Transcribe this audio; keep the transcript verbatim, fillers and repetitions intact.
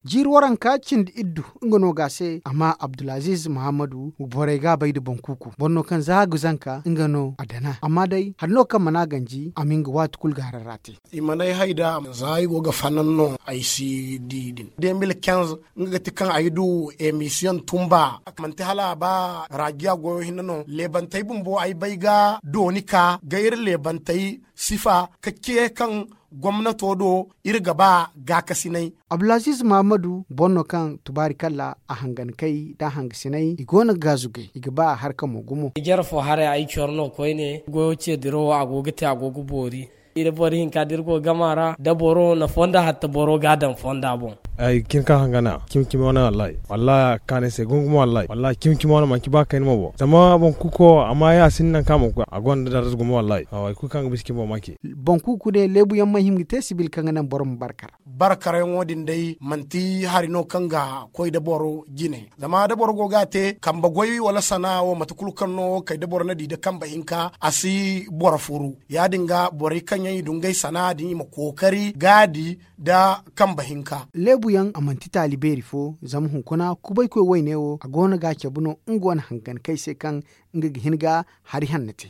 Jiiri waranka cindi iddu nga no ga a se amma abdulaziiz muhammadu borey ga a bay nda boŋ kuuku boro no kaŋ za a ga zanka nga no a dana amma day hari no kaŋ mana ganji a ma nga waati kulu ga harara te. I mana ay hay da za ay go ga fanan no ay si di din de mil kenz. Nga ga ti kaŋ ay du emisiyoŋ tumba manti hala a ba rajiya goyo hinne no leebantey bumbo ay bay ga dooni ka ga iri leebantey sifa ka ce kaŋ gomnato do iri ga ba gaakasinay. Abdulaziiz mahammadu boro no kaŋ tubaari kalla a hangankey nda a hangasiney i go no ga gaazugay i ga ba a harka mo gumo. Jare fo haray ay coro no koyne goyo ce dirawo a go ga te a go ga boori. Iri boro hinka da iri go ga gama ra da boro na fonda hatta boro ga a daŋ fonda boŋ. Ay ga cin ka hangana cimi cimi wane wallahi wallahi a ga kaanu ay se gumo gumo wallahi wallahi cimi cimi wane manci ba kayna mo boŋ zama boŋ kuuko amma ya sinda nangu kaŋ a mana koy a gonda darza gumo wallahi. Hay kulu kaŋ ga bisa cimi boŋ ma ci. Boŋ kuuku ne leebu yaŋ mana hima ga te sibil kaŋ ga naŋ boro ma barkar. Barkaryaŋo din day manti hari no kaŋ ga koy da boro jine zama da boro go ga a te kambe goy wala sana'a wo mate kulu kaŋ no kay da boro na di da kambe hinka a si boro furu. Ya- din ga borey kaŋ yaŋ i du ngey sana'a din i ma kookari ga a di nda kambe hinka. Leebu yaŋ a manti taali beeri fo zama hunkuna kubaykoy wayne wo a go no ga a cabe no nga wane hangankey se kaŋ nga ga hin ga hari hanno te.